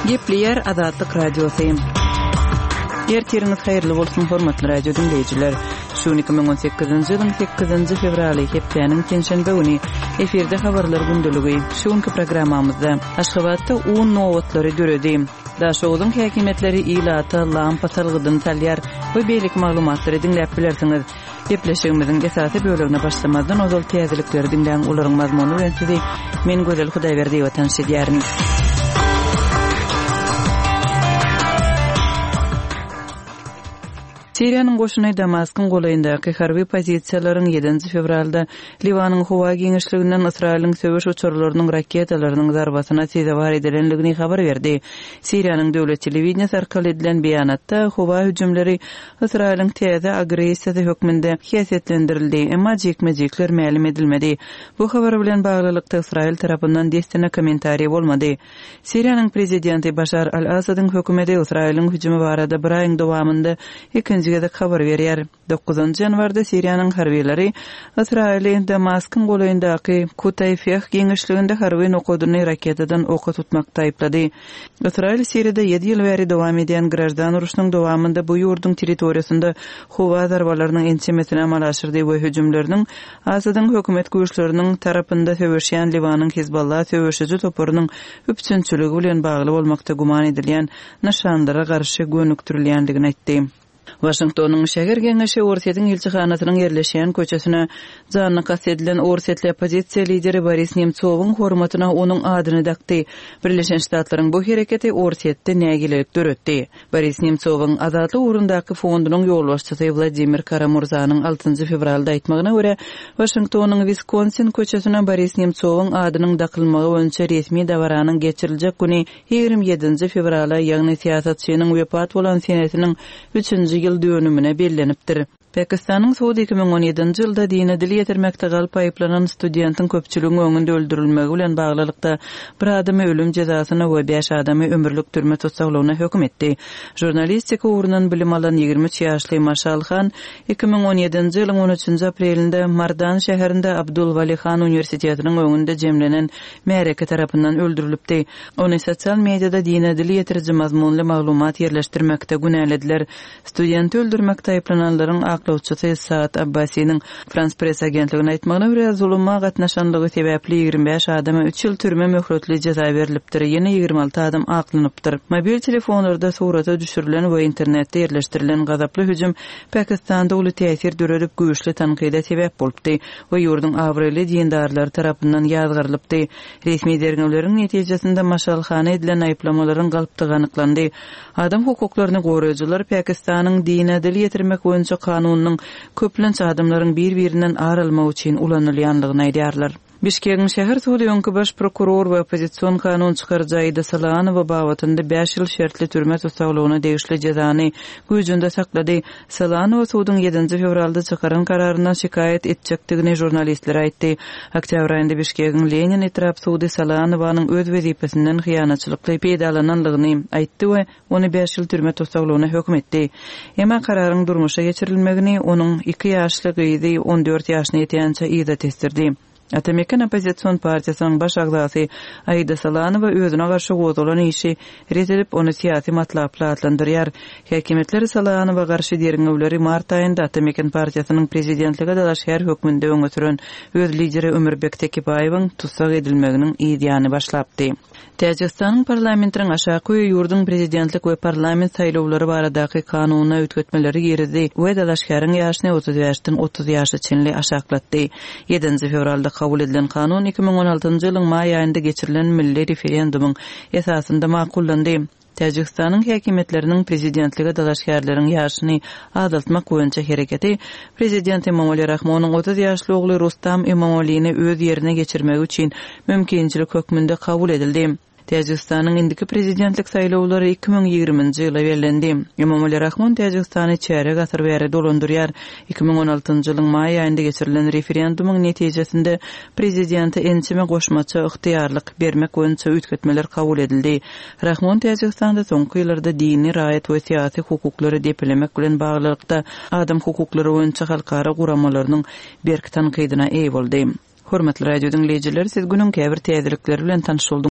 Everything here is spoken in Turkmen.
Gepleýär Azatlyk Radiosy. Ertiriňiz haýyrly bolsun, hormatly radio diňleýjiler. Şu gün 2018-nji ýylyň 8-nji fewraly, hepdäniň penşenbe güni. Efirde habarlar gündeligi. Şu günki programmamyzda Aşgabatda un nobatlary döredi. Daşoguzyň häkimiýetleri ilata lampa salgydyny salýar we beýleki maglumatlary diňläp bilersiňiz. Gepleşigimiziň esasy bölegine başlamazdan ozal täzelikleri diňläň, olaryň mazmuny bilen sizi men Gözel Hudaýberdiýewa tanyş edýärin. Siriýanyň goşuny Damaskyň golaýyndaky harby pozisiýalaryň ýedinji fewralda Liwanyň howa giňişliginden Ysraýylyň söweş uçarlarynyň raketalarynyň zarbasyna sezewar edilendigini habar berdi. Siriýanyň döwlet telewideniýesi arkaly edilen beýanatda howa hüjümleri Ysraýylyň täze agressiýasy hökmünde häsiýetlendirildi, emma jikme-jikler mälim edilmedi. Bu habar bilen baglylykda Ysraýyl tarapyndan dessine kommentariý bolmady. Siriýanyň prezidenti Başar al-Assadyň hökümeti Ysraýylyň hüjümi barada bir aýyň dowamynda ikinji gezek habar berýär. Dokuzynjy ýanwarda Siriýanyň harbylary Ysraýyly Damaskyň golaýyndaky Kutaýfeh giňişliginde harby nokadyny raketadan oka tutmakda aýyplady. Ysraýyl Siriýada ýedi ýyl bäri dowam edýän graždan urşunyň dowamynda bu ýurduň territoriýasynda howa zarbalarynyň ençemesini amala aşyrdy we hüjümleriniň Asadyň hökümet güýçleriniň tarapynda söweşýän Liwanyň Hizballah söweşiji toparynyň üpjünçiligi bilen bagly bolmakda güman edilýän nyşanlara garşy gönükdirilýändigini aýtdy. Waşingtonyň şäher geňeşi Orsýetiň ilçihanasynyň ýerleşýän köçesine janyna kast edilen orsýetli oppozisiýa lideri Boris Nemtsowyň hormatyna onuň adyny dakdy. Birleşen Ştatlaryň bu hereketi Orsýetde nägilelik döretdi. Boris Nemtsowyň Azatlyk ugrundaky fondunyň ýolbaşçysy Wladimir Kara-Murzanyň altynjy fewralda aýtmagyna görä, Waşingtonyň Wiskonsin köçesine Boris Nemtsowyň adynyň dakylmagy boýunça resmi dabaranyň geçiriljek güni 27-nji fewrala, ýagny syýasatçynyň wepat bolan senesiniň üçünji ýyl dönümine bellenipdir. Pakistanyň sudy 2017-nji ýylda dine dil ýetirmekde galp aýyplanan studentiň köpçüligiň öňünde öldürilmegi bilen baglylykda bir adamy ölüm jezasyna we bäş adamy ömürlik türme tussaglygyna höküm etdi. Žurnalistika ugrundan bilim alan 23 ýaşly Maşal Han 2017-nji ýylyň on üçünji aprelinde Mardan şäherinde Abdul Wali Han uniwersitetiniň öňünde jemlenen märeke tarapyndan öldürilipdi. Ony sosial mediada dine dil ýetiriji mazmunly maglumat ýerleşdirmekde günälediler. Studenti öldürmekde aýyplananlaryň aklawçysy Saad Abbasiniň Frans Press agentligine aýtmagyna görä, zuluma gatnaşanlygy sebäpli 25 adama üç ýyl türme möhletli jeza berlipdir, ýene 26 adam aklanypdyr. Mobil telefonlarda surata düşürilen we internetde ýerleşdirilen gazaply hüjüm Pakistanda uly täsir döredip, güýçli tankyda sebäp bolupdy we ýurduň abraýly dindarlary tarapyndan ýazgarylypdy. Resmi derňewleriň netijesinde maşgalhana edilen aýyplamalaryň galpdygy anyklandy. Adam hukuklaryny goraýjylar Pakistanyň dine dil ýetirmek boýunça kanunynyň köplenç adamlaryň bir-birinden ar almak üçin ulanylýandygyny aýdýarlar. Bişkegiň şäher sudy öňki baş prokuror we oppozision kanun çykaryjy Aida Salanowa babatynda bäş ýyl şertli türme tussaglygyna degişli jezany güýjünde saklady. Salanowa suduň ýedinji fewralda çykaran kararyndan şikaýat etjekdigini žurnalistlere aýtdy. Oktýabr aýynda Bişkegiň Lenin etrap sudy Salanowanyň öz wezipesinden hyýanatçylykly peýdalananlygyny aýtdy we ony bäş ýyl türme tussaglygyna höküm etdi. Emma kararyň durmuşa geçirilmegini onuň iki ýaşly gyzy on dört ýaşyna ýetýänçä yza tesdirdi. Ata-Meken oppozision partiýasynyň baş agzasy Aida Salanowa özüne garşy gozgalan işi ret edip, ony syýasy matlaply atlandyrýar. Häkimiýetler Salanowa garşy derňewleri mart aýynda Ata-Meken partiýasynyň prezidentlige dalaşgär hökmünde öňe süren öz lideri Ömürbek Tekebaýewiň tussag edilmeginiň yz ýany başlapdy. Täjigistanyň parlamentiniň aşaky öýi ýurduň prezidentlik we parlament saýlawlary baradaky kanunyna üýtgetmeleri girizdi we dalaşgäriň ýaşyny 35-den 30 ýaşa çenli aşaklatdy. Ýedinji fewralda kabul edilen kanun 2016-njy ýylyň maý aýynda geçirilen milli referendumyň esasynda makullandy. Täjigistanyň häkimiýetleriniň prezidentlige dalaşgärleriň ýaşyny azaltmak boýunça hereketi prezident Emomali Rahmonyň 30 ýaşly ogly Rustam Emomalini öz ýerine geçirmegi üçin mümkinçilik hökmünde kabul edildi. Täjigistanyň indiki prezidentlik saýlawlary 2020-nji ýyla bellendi. Emomali Rahmon Täjigistany çärýek asyr bäri dolandyrýar. 2016-njy ýylyň maý aýynda geçirilen referendumyň netijesinde prezidente ençeme goşmaça ygtyýarlyk bermek boýunça üýtgetmeler kabul edildi. Rahmon Täjigistanda soňky ýyllarda dini, raýat we syýasy hukuklary depelemek bilen baglylykda adam hukuklary boýunça halkara guramalarynyň berk tankydyna eýe boldy. Hormatly radio diňleýjiler, siz günüň käbir täzelikleri bilen tanyş bolduňyz.